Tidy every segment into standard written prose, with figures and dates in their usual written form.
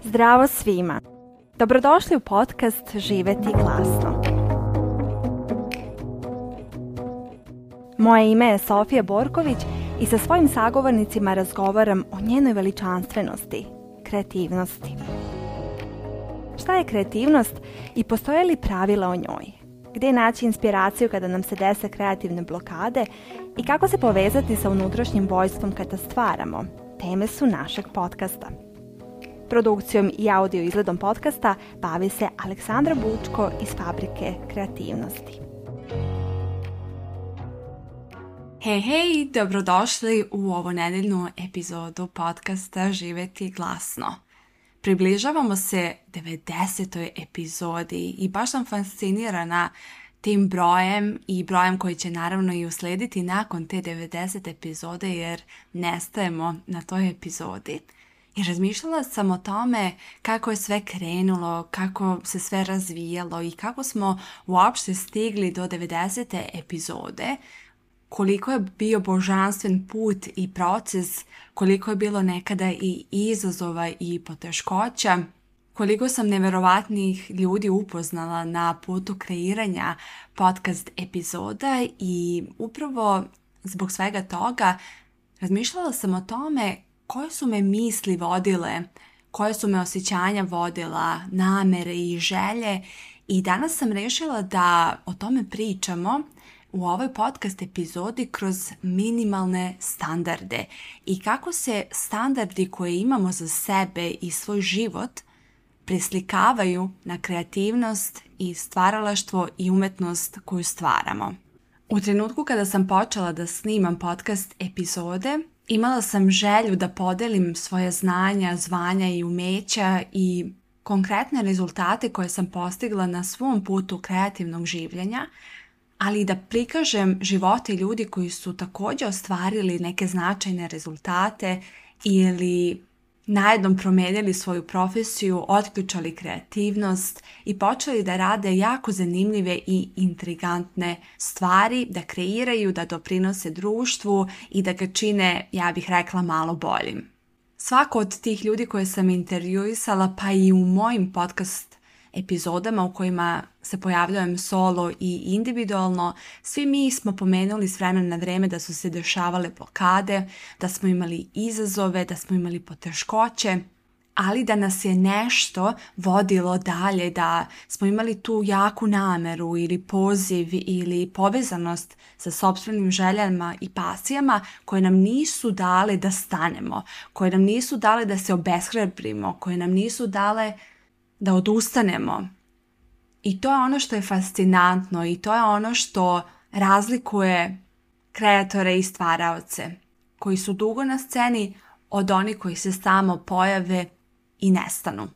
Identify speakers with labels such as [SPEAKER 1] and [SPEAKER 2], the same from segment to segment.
[SPEAKER 1] Zdravo svima! Dobrodošli u podcast Živjeti glasno. Moje ime je Sofija Borković i sa svojim sagovornicima razgovaram o njenoj veličanstvenosti, kreativnosti. Šta je kreativnost i postoje li pravila o njoj? Gdje naći inspiraciju kada nam se dese kreativne blokade i kako se povezati sa unutrašnjim vojstvom kada stvaramo? Teme su našeg podcasta. Produkcijom i audio izgledom podcasta bavi se Aleksandra Bučko iz Fabrike kreativnosti.
[SPEAKER 2] Hej, dobrodošli u ovu nedeljnu epizodu podcasta Živjeti glasno. Približavamo se 90. epizodi i baš sam fascinirana tim brojem i brojem koji će naravno i uslediti nakon te 90 epizode jer nestajemo na toj epizodi. I razmišljala sam o tome kako je sve krenulo, kako se sve razvijalo i kako smo uopšte stigli do 90. epizode, koliko je bio božanstven put i proces, koliko je bilo nekada i izazova i poteškoća, koliko sam neverovatnih ljudi upoznala na putu kreiranja podcast epizoda i upravo zbog svega toga razmišljala sam o tome koje su me misli vodile, koje su me osjećanja vodila, namere i želje i danas sam rešila da o tome pričamo u ovoj podcast epizodi kroz minimalne standarde i kako se standardi koje imamo za sebe i svoj život preslikavaju na kreativnost i stvaralaštvo i umetnost koju stvaramo. U trenutku kada sam počela da snimam podcast epizode, imala sam želju da podelim svoje znanja, zvanja i umeća i konkretne rezultate koje sam postigla na svom putu kreativnog življenja, ali i da prikažem živote ljudi koji su također ostvarili neke značajne rezultate ili najednom promijenili svoju profesiju, otključali kreativnost i počeli da rade jako zanimljive i intrigantne stvari, da kreiraju, da doprinose društvu i da ga čine, ja bih rekla, malo boljim. Svako od tih ljudi koje sam intervjuisala, pa i u mojim podcast epizodama u kojima se pojavljujem solo i individualno, svi mi smo pomenuli s vremena na vreme da su se dešavale blokade, da smo imali izazove, da smo imali poteškoće, ali da nas je nešto vodilo dalje, da smo imali tu jaku nameru ili poziv ili povezanost sa sopstvenim željama i pasijama koje nam nisu dale da stanemo, koje nam nisu dale da se obeshrabrimo, koje nam nisu dale da odustanemo. I to je ono što je fascinantno i to je ono što razlikuje kreatore i stvaraoce koji su dugo na sceni od onih koji se samo pojave i nestanu.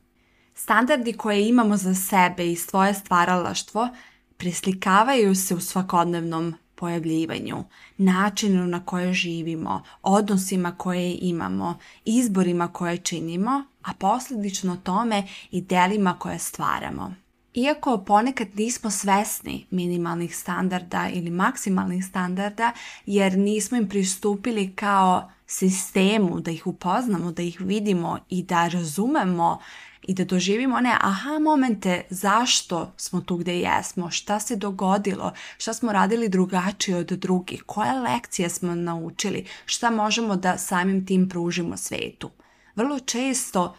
[SPEAKER 2] Standardi koje imamo za sebe i svoje stvaralaštvo preslikavaju se u svakodnevnom pojavljivanju, načinu na koje živimo, odnosima koje imamo, izborima koje činimo, a posljedično tome i delima koje stvaramo. Iako ponekad nismo svesni minimalnih standarda ili maksimalnih standarda jer nismo im pristupili kao sistemu da ih upoznamo, da ih vidimo i da razumemo i da doživimo one aha momente zašto smo tu gdje jesmo, šta se dogodilo, šta smo radili drugačije od drugih, koje lekcije smo naučili, šta možemo da samim tim pružimo svetu. Vrlo često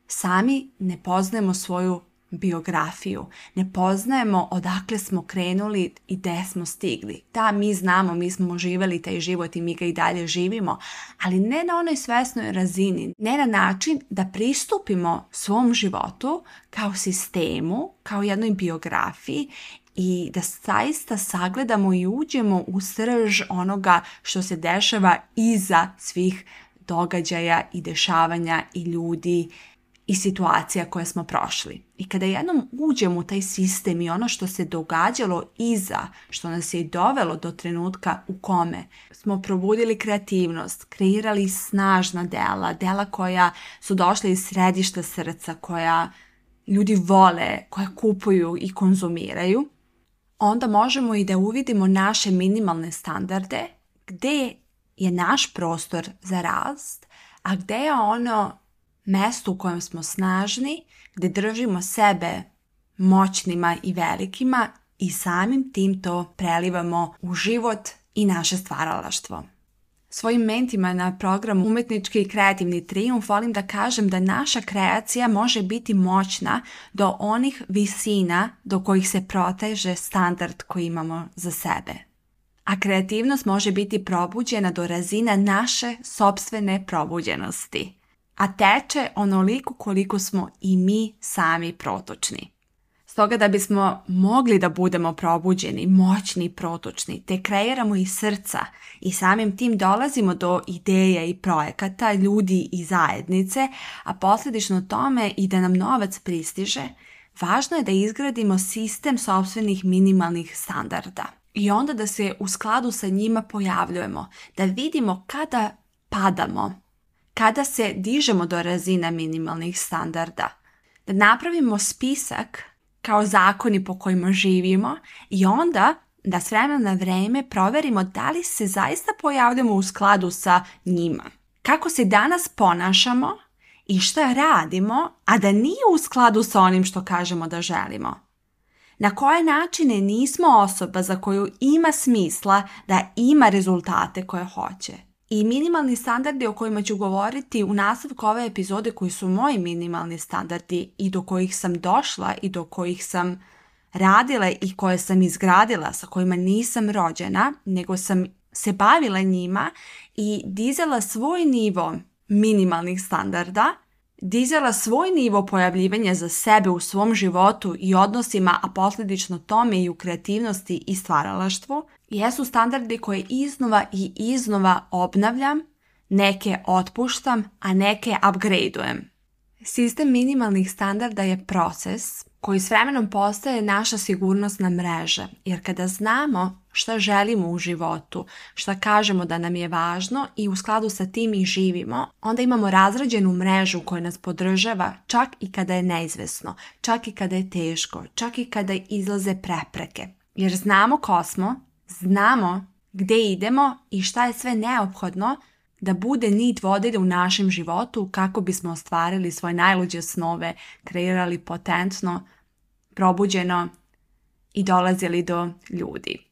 [SPEAKER 2] sami ne poznajemo svoju biografiju, ne poznajemo odakle smo krenuli i gdje smo stigli. Da, mi znamo, mi smo živjeli taj život i mi ga i dalje živimo, ali ne na onoj svesnoj razini, ne na način da pristupimo svom životu kao sistemu, kao jednoj biografiji i da zaista sagledamo i uđemo u srž onoga što se dešava iza svih događaja i dešavanja i ljudi i situacija koje smo prošli. I kada jednom uđemo u taj sistem i ono što se događalo iza, što nas je dovelo do trenutka u kome smo probudili kreativnost, kreirali snažna dela koja su došla iz središta srca, koja ljudi vole, koja kupuju i konzumiraju, onda možemo i da uvidimo naše minimalne standarde, gdje je naš prostor za rast, a gde je ono mesto u kojem smo snažni, gde držimo sebe moćnima i velikima i samim tim to prelivamo u život i naše stvaralaštvo. Svojim mentima na programu Umetnički i kreativni trijumf volim da kažem da naša kreacija može biti moćna do onih visina do kojih se proteže standard koji imamo za sebe. A kreativnost može biti probuđena do razina naše sopstvene probuđenosti, a teče onoliko koliko smo i mi sami protočni. Stoga da bismo mogli da budemo probuđeni, moćni i protočni, te kreiramo iz srca i samim tim dolazimo do ideja i projekata, ljudi i zajednice, a posljedično tome i da nam novac pristiže, važno je da izgradimo sistem sopstvenih minimalnih standarda. I onda da se u skladu sa njima pojavljujemo, da vidimo kada padamo, kada se dižemo do razina minimalnih standarda, da napravimo spisak kao zakoni po kojima živimo i onda da s vremena na vreme proverimo da li se zaista pojavljamo u skladu sa njima. Kako se danas ponašamo i šta radimo, a da nije u skladu sa onim što kažemo da želimo. Na koje načine nismo osoba za koju ima smisla da ima rezultate koje hoće. I minimalni standardi o kojima ću govoriti u nastavku ove epizode koji su moji minimalni standardi i do kojih sam došla i do kojih sam radila i koje sam izgradila, sa kojima nisam rođena, nego sam se bavila njima i dizala svoj nivo minimalnih standarda, dizala svoj nivo pojavljivanja za sebe u svom životu i odnosima, a posljedično tome i u kreativnosti i stvaralaštvu, jesu standardi koje iznova i iznova obnavljam, neke otpuštam, a neke upgradeujem. Sistem minimalnih standarda je proces koji s vremenom postaje naša sigurnosna mreža, jer kada znamo šta želimo u životu, šta kažemo da nam je važno i u skladu sa tim i živimo, onda imamo razrađenu mrežu koja nas podržava čak i kada je neizvesno, čak i kada je teško, čak i kada izlaze prepreke. Jer znamo ko smo, znamo gde idemo i šta je sve neophodno da bude nit vodilja u našem životu kako bismo ostvarili svoje najluđe snove, kreirali potentno, probuđeno i dolazili do ljudi.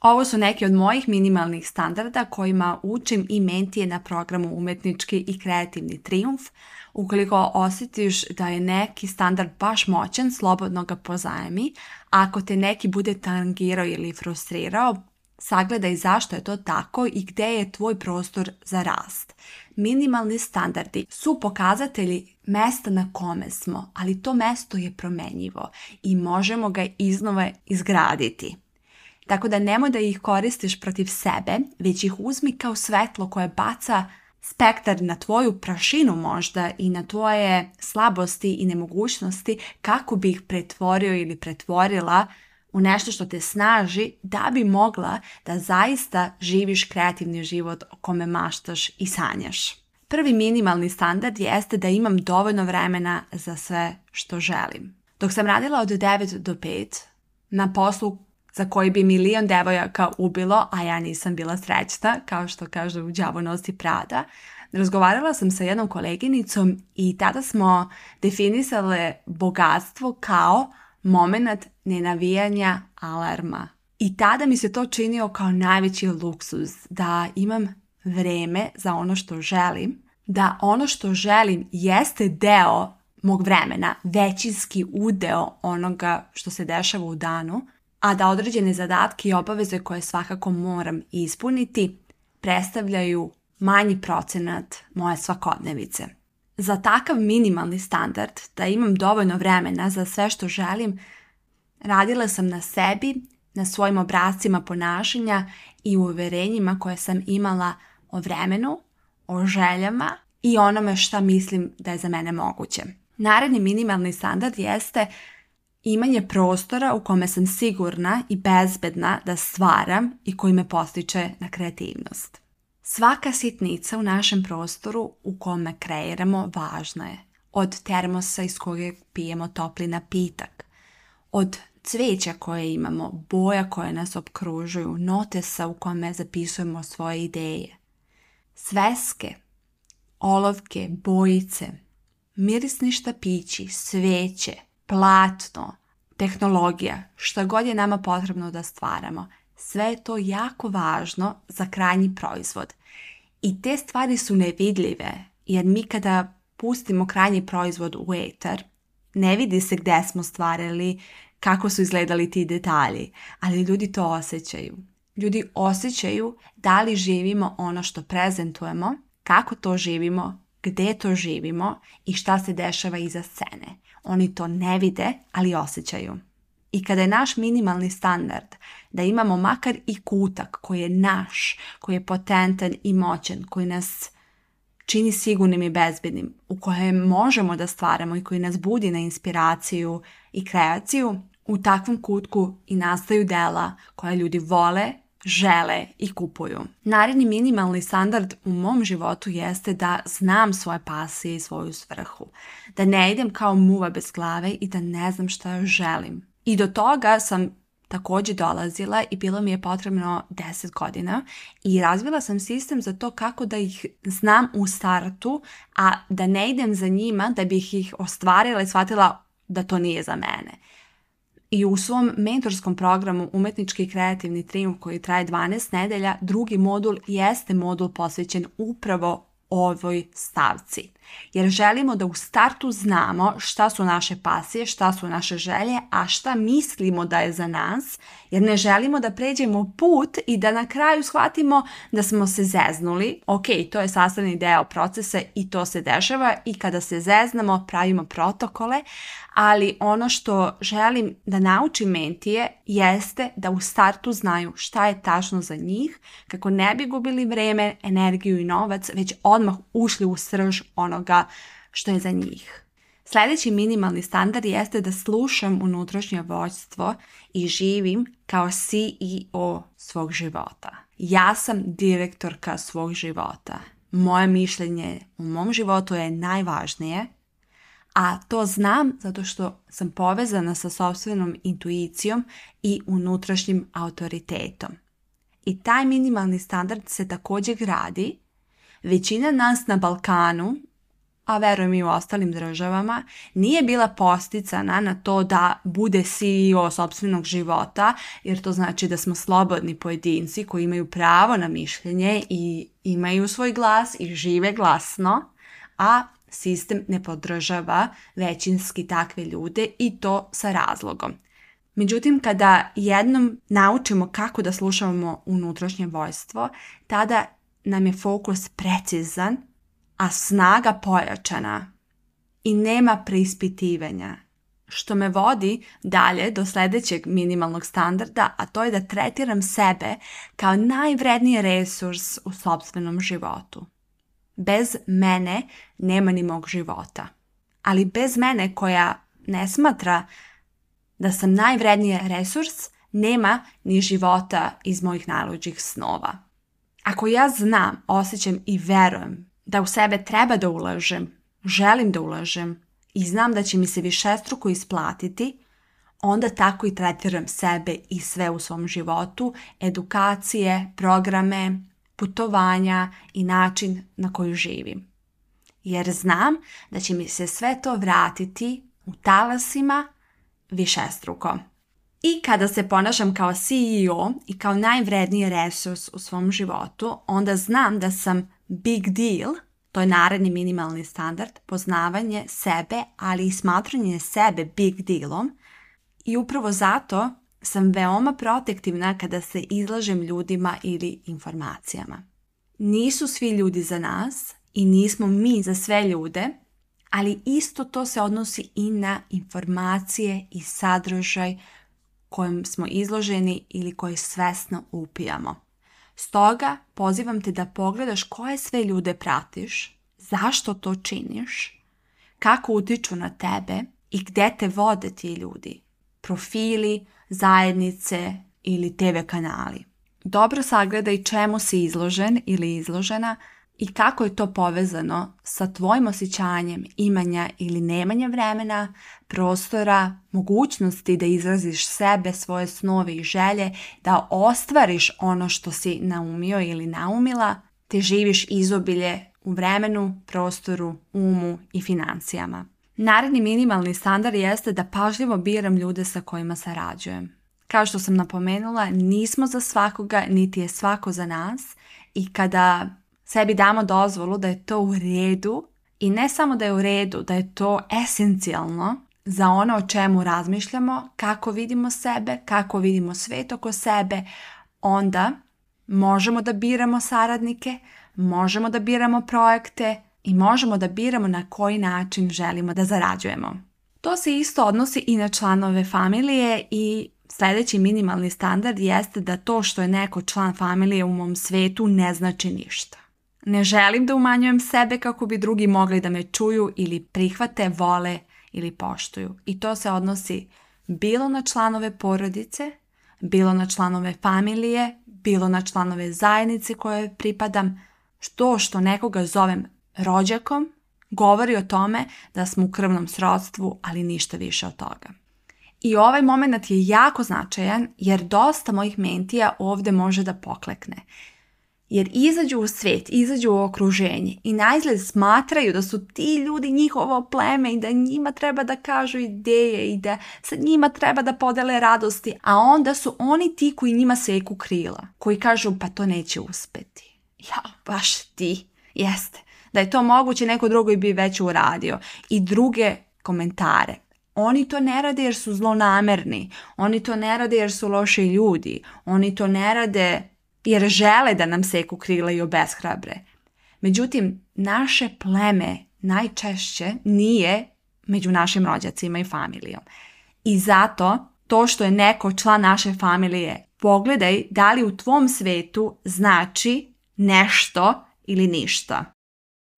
[SPEAKER 2] Ovo su neki od mojih minimalnih standarda kojima učim i mentije na programu Umetnički i kreativni trijumf. Ukoliko osjetiš da je neki standard baš moćan, slobodno ga pozajmi. Ako te neki bude tangirao ili frustrirao, sagledaj zašto je to tako i gdje je tvoj prostor za rast. Minimalni standardi su pokazatelji mesta na kome smo, ali to mesto je promenjivo i možemo ga iznova izgraditi. Tako da nemoj da ih koristiš protiv sebe, već ih uzmi kao svetlo koje baca spektar na tvoju prašinu možda i na tvoje slabosti i nemogućnosti kako bi ih pretvorio ili pretvorila u nešto što te snaži da bi mogla da zaista živiš kreativni život o kome maštaš i sanjaš. Prvi minimalni standard jeste da imam dovoljno vremena za sve što želim. Dok sam radila od 9 do 5 na poslu za koji bi milion devojaka ubilo, a ja nisam bila srećna, kao što kažu u Đavo nosi Prada, razgovarala sam sa jednom koleginicom i tada smo definisale bogatstvo kao moment nenavijanja alarma. I tada mi se to činio kao najveći luksuz, da imam vreme za ono što želim, da ono što želim jeste deo mog vremena, većinski udeo onoga što se dešava u danu, a da određene zadatke i obaveze koje svakako moram ispuniti predstavljaju manji procenat moje svakodnevice. Za takav minimalni standard, da imam dovoljno vremena za sve što želim, radila sam na sebi, na svojim obrascima ponašanja i uverenjima koje sam imala o vremenu, o željama i onome šta mislim da je za mene moguće. Naredni minimalni standard jeste imanje prostora u kome sam sigurna i bezbedna da stvaram i koji me postiče na kreativnost. Svaka sitnica u našem prostoru u kome kreiramo važna je. Od termosa iz kojeg pijemo topli napitak, od cveća koje imamo, boja koje nas opkružuju, notesa u kome zapisujemo svoje ideje, sveske olovke, bojice, mirisni štapići, sveće, platno, tehnologija, šta god je nama potrebno da stvaramo. Sve je to jako važno za krajnji proizvod. I te stvari su nevidljive, jer mi kada pustimo krajnji proizvod u etar, ne vidi se gdje smo stvarali, kako su izgledali ti detalji, ali ljudi to osjećaju. Ljudi osjećaju da li živimo ono što prezentujemo, kako to živimo, gdje to živimo i šta se dešava iza scene. Oni to ne vide, ali osjećaju. I kada je naš minimalni standard da imamo makar i kutak koji je naš, koji je potentan i moćan, koji nas čini sigurnim i bezbednim, u kojem možemo da stvaramo i koji nas budi na inspiraciju i kreaciju, u takvom kutku i nastaju dela koja ljudi vole, žele i kupuju. Naredni minimalni standard u mom životu jeste da znam svoje pasije i svoju svrhu. Da ne idem kao muva bez glave i da ne znam šta želim. I do toga sam također dolazila i bilo mi je potrebno 10 godina i razvila sam sistem za to kako da ih znam u startu, a da ne idem za njima da bih ih ostvarila i shvatila da to nije za mene. I u svom mentorskom programu Umetnički i kreativni trijumf koji traje 12 nedelja, drugi modul jeste modul posvećen upravo ovoj stavci. Jer želimo da u startu znamo šta su naše pasije, šta su naše želje, a šta mislimo da je za nas, jer ne želimo da pređemo put i da na kraju shvatimo da smo se zeznuli. Ok, to je sastavni deo procesa i to se dešava i kada se zeznamo pravimo protokole, ali ono što želim da naučim mentije jeste da u startu znaju šta je tačno za njih, kako ne bi gubili vreme, energiju i novac, već odmah ušli u srž onoga što je za njih. Sljedeći minimalni standard jeste da slušam unutrašnje vođstvo i živim kao CEO svog života. Ja sam direktorka svog života. Moje mišljenje u mom životu je najvažnije, a to znam zato što sam povezana sa sopstvenom intuicijom i unutrašnjim autoritetom. I taj minimalni standard se također gradi. Većina nas na Balkanu, a verujem i u ostalim državama, nije bila posticana na to da bude CEO sopstvenog života, jer to znači da smo slobodni pojedinci koji imaju pravo na mišljenje i imaju svoj glas i žive glasno, a sistem ne podržava većinski takve ljude i to sa razlogom. Međutim, kada jednom naučimo kako da slušamo unutrašnje vođstvo, tada nam je fokus precizan, a snaga pojačana i nema preispitivanja. Što me vodi dalje do sljedećeg minimalnog standarda, a to je da tretiram sebe kao najvredniji resurs u sopstvenom životu. Bez mene nema ni mog života. Ali bez mene koja ne smatra da sam najvredniji resurs, nema ni života iz mojih najluđih snova. Ako ja znam, osjećam i verujem da u sebe treba da ulažem, želim da ulažem i znam da će mi se višestruko isplatiti, onda tako i tretiram sebe i sve u svom životu, edukacije, programe, putovanja i način na koji živim. Jer znam da će mi se sve to vratiti u talasima višestruko. I kada se ponašam kao CEO i kao najvredniji resurs u svom životu, onda znam da sam big deal, to je naredni minimalni standard, poznavanje sebe, ali i smatranje sebe big dealom. I upravo zato sam veoma protektivna kada se izlažem ljudima ili informacijama. Nisu svi ljudi za nas i nismo mi za sve ljude, ali isto to se odnosi i na informacije i sadržaj kojim smo izloženi ili koji svesno upijamo. Stoga pozivam te da pogledaš koje sve ljude pratiš, zašto to činiš, kako utiču na tebe i gdje te vode ti ljudi, profili, zajednice ili TV kanali. Dobro sagledaj čemu si izložen ili izložena i kako je to povezano sa tvojim osjećanjem imanja ili nemanja vremena, prostora, mogućnosti da izraziš sebe, svoje snove i želje, da ostvariš ono što si naumio ili naumila, te živiš izobilje u vremenu, prostoru, umu i financijama. Naredni minimalni standard jeste da pažljivo biram ljude sa kojima sarađujem. Kao što sam napomenula, nismo za svakoga, niti je svako za nas i kada sebi damo dozvolu da je to u redu i ne samo da je u redu, da je to esencijalno za ono o čemu razmišljamo, kako vidimo sebe, kako vidimo svet oko sebe, onda možemo da biramo saradnike, možemo da biramo projekte i možemo da biramo na koji način želimo da zarađujemo. To se isto odnosi i na članove familije i sljedeći minimalni standard jeste da to što je neko član familije u mom svetu ne znači ništa. Ne želim da umanjujem sebe kako bi drugi mogli da me čuju ili prihvate, vole ili poštuju. I to se odnosi bilo na članove porodice, bilo na članove familije, bilo na članove zajednice koje pripadam. To što nekoga zovem rođakom govori o tome da smo u krvnom srodstvu, ali ništa više od toga. I ovaj moment je jako značajan jer dosta mojih mentija ovdje može da poklekne. Jer izađu u svijet, izađu u okruženje i naizgled smatraju da su ti ljudi njihovo pleme i da njima treba da kažu ideje i da sa njima treba da podele radosti, a onda su oni ti koji njima seku krila, koji kažu pa to neće uspeti. Ja, baš ti, jeste. Da je to moguće, neko drugi bi već uradio. I druge komentare. Oni to ne rade jer su zlonamerni. Oni to ne rade jer su loši ljudi. Oni to ne rade jer žele da nam seku krila i obeshrabre. Međutim, naše pleme najčešće nije među našim rođacima i familijom. I zato to što je neko član naše familije, pogledaj da li u tvom svetu znači nešto ili ništa.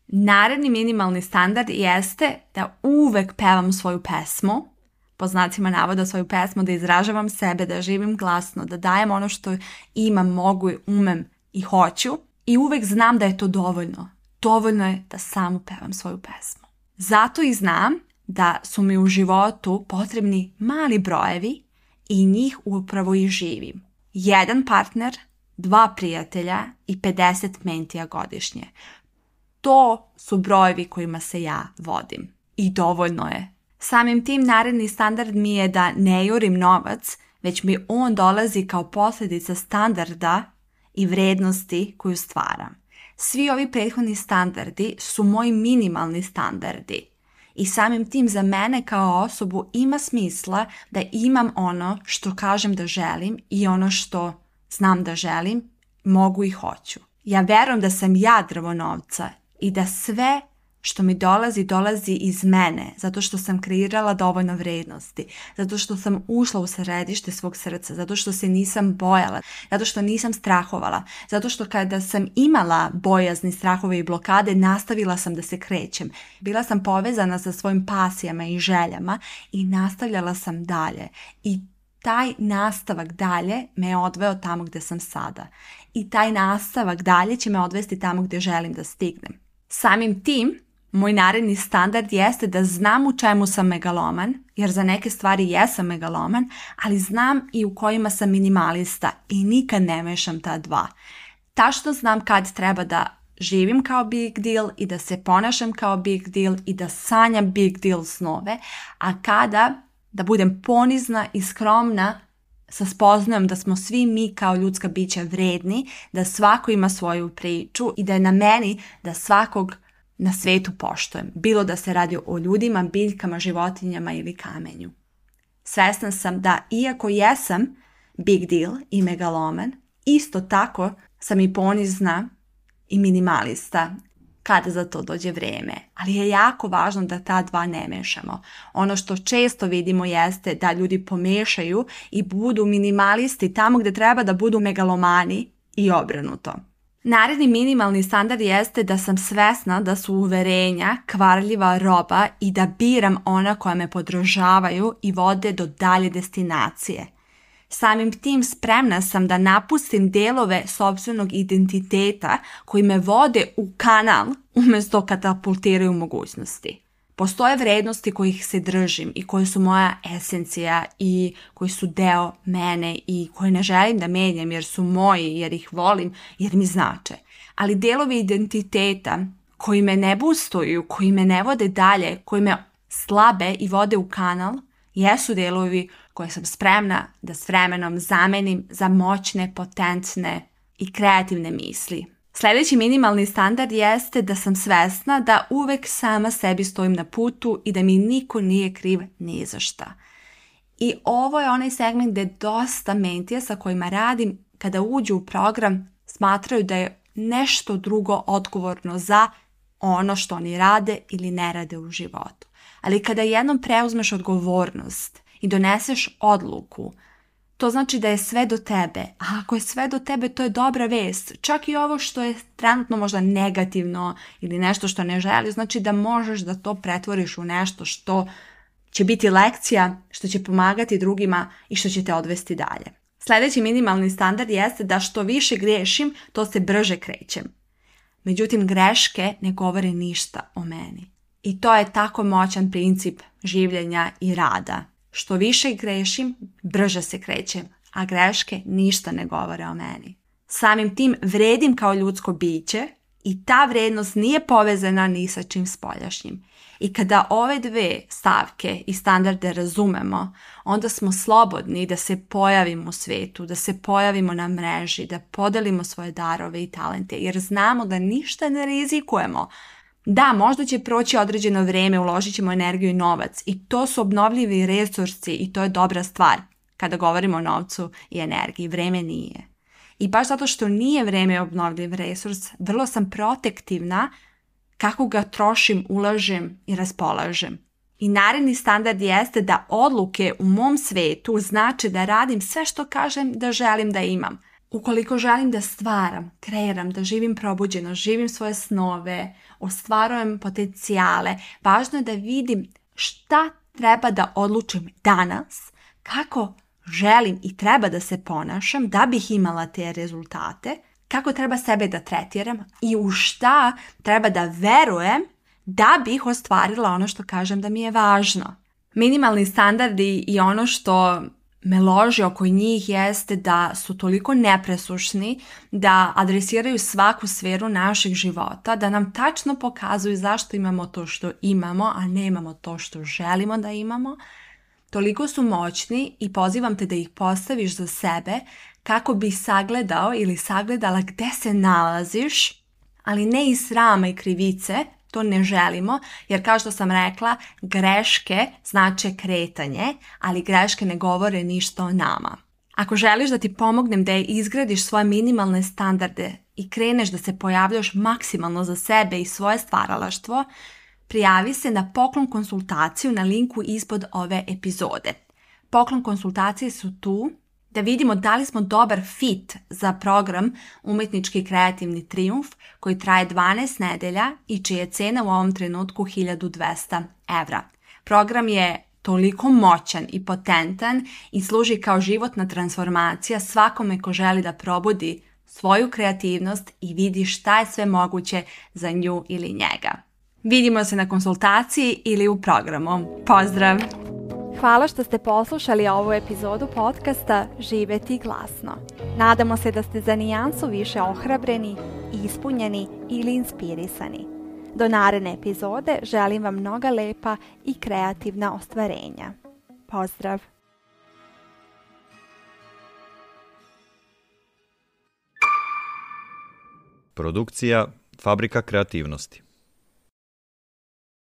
[SPEAKER 2] Naredni minimalni standard jeste da uvek pevam svoju pesmu, po znacima navoda svoju pesmu, da izražavam sebe, da živim glasno, da dajem ono što imam, mogu, umem i hoću i uvek znam da je to dovoljno. Dovoljno je da samo pevam svoju pesmu. Zato i znam da su mi u životu potrebni mali brojevi i njih upravo i živim. 1 partner, 2 prijatelja i 50 mentija godišnje. To su brojevi kojima se ja vodim. I dovoljno je. Samim tim naredni standard mi je da ne jurim novac, već mi on dolazi kao posljedica standarda i vrednosti koju stvaram. Svi ovi prethodni standardi su moji minimalni standardi. I samim tim za mene kao osobu ima smisla da imam ono što kažem da želim i ono što znam da želim, mogu i hoću. Ja verujem da sam ja drvo novca i da sve što mi dolazi iz mene, zato što sam kreirala dovoljno vrednosti, zato što sam ušla u središte svog srca, zato što se nisam bojala, zato što nisam strahovala, zato što kada sam imala bojazni, strahove i blokade, nastavila sam da se krećem. Bila sam povezana sa svojim pasijama i željama i nastavljala sam dalje. I taj nastavak dalje me je odveo tamo gdje sam sada. I taj nastavak dalje će me odvesti tamo gdje želim da stignem. Samim tim, moj naredni standard jeste da znam u čemu sam megaloman, jer za neke stvari jesam megaloman, ali znam i u kojima sam minimalista i nikad ne mešam ta dva. Tačno znam kad treba da živim kao big deal i da se ponašam kao big deal i da sanjam big deal snove, a kada da budem ponizna i skromna sa spoznajom da smo svi mi kao ljudska bića vredni, da svako ima svoju priču i da je na meni da svakog na svetu poštujem, bilo da se radi o ljudima, biljkama, životinjama ili kamenju. Svesna sam da iako jesam big deal i megaloman, isto tako sam i ponizna i minimalista kada za to dođe vrijeme. Ali je jako važno da ta dva ne mešamo. Ono što često vidimo jeste da ljudi pomešaju i budu minimalisti tamo gdje treba da budu megalomani i obrnuto. Naredni minimalni standard jeste da sam svesna da su uverenja kvarljiva roba i da biram ona koja me podržavaju i vode do dalje destinacije. Samim tim spremna sam da napustim delove sopstvenog identiteta koji me vode u kanal umjesto katapultiraju mogućnosti. Postoje vrednosti kojih se držim i koje su moja esencija i koji su deo mene i koje ne želim da menjam jer su moji, jer ih volim, jer mi znače. Ali delovi identiteta koji me ne boostuju, koji me ne vode dalje, koji me slabe i vode u kanal, jesu delovi koje sam spremna da s vremenom zamenim za moćne, potentne i kreativne misli. Sljedeći minimalni standard jeste da sam svesna da uvek sama sebi stojim na putu i da mi niko nije kriv ni za šta. I ovo je onaj segment gdje dosta mentija sa kojima radim, kada uđu u program, smatraju da je nešto drugo odgovorno za ono što oni rade ili ne rade u životu. Ali kada jednom preuzmeš odgovornost i doneseš odluku, to znači da je sve do tebe. A ako je sve do tebe, to je dobra vest. Čak i ovo što je trenutno možda negativno ili nešto što ne želiš, znači da možeš da to pretvoriš u nešto što će biti lekcija, što će pomagati drugima i što će te odvesti dalje. Sljedeći minimalni standard jeste da što više griješim, to se brže krećem. Međutim, greške ne govore ništa o meni. I to je tako moćan princip življenja i rada. Što više grešim, brže se krećem, a greške ništa ne govore o meni. Samim tim vredim kao ljudsko biće i ta vrednost nije povezana ni sa čim spoljašnjim. I kada ove dve stavke i standarde razumemo, onda smo slobodni da se pojavimo u svijetu, da se pojavimo na mreži, da podelimo svoje darove i talente, jer znamo da ništa ne rizikujemo. Da, možda će proći određeno vrijeme, uložit ćemo energiju i novac i to su obnovljivi resursi i to je dobra stvar kada govorimo o novcu i energiji. Vrijeme nije. I baš zato što nije vrijeme obnovljiv resurs, vrlo sam protektivna kako ga trošim, ulažem i raspolažem. I naredni standard jeste da odluke u mom svijetu znače da radim sve što kažem da želim da imam. Ukoliko želim da stvaram, kreiram, da živim probuđeno, živim svoje snove, ostvarujem potencijale, važno je da vidim šta treba da odlučim danas, kako želim i treba da se ponašam da bih imala te rezultate, kako treba sebe da tretiram i u šta treba da verujem da bih ostvarila ono što kažem da mi je važno. Minimalni standardi i ono što me loži oko njih jeste da su toliko nepresušni, da adresiraju svaku sferu našeg života, da nam tačno pokazuju zašto imamo to što imamo, a ne imamo to što želimo da imamo. Toliko su moćni i pozivam te da ih postaviš za sebe kako bi sagledao ili sagledala gde se nalaziš, ali ne iz srama i krivice, to ne želimo, jer kao što sam rekla, greške znače kretanje, ali greške ne govore ništa o nama. Ako želiš da ti pomognem da izgradiš svoje minimalne standarde i kreneš da se pojavljaš maksimalno za sebe i svoje stvaralaštvo, prijavi se na poklon konsultaciju na linku ispod ove epizode. Poklon konsultacije su tu da vidimo da li smo dobar fit za program Umetnički kreativni trijumf koji traje 12 nedelja i čija je cena u ovom trenutku 1200 evra. Program je toliko moćan i potentan i služi kao životna transformacija svakome ko želi da probudi svoju kreativnost i vidi šta je sve moguće za nju ili njega. Vidimo se na konsultaciji ili u programu. Pozdrav!
[SPEAKER 1] Hvala što ste poslušali ovu epizodu podcasta Živeti glasno. Nadamo se da ste za nijansu više ohrabreni, ispunjeni ili inspirisani. Do naredne epizode želim vam mnoga lepa i kreativna ostvarenja. Pozdrav!
[SPEAKER 3] Produkcija Fabrika kreativnosti.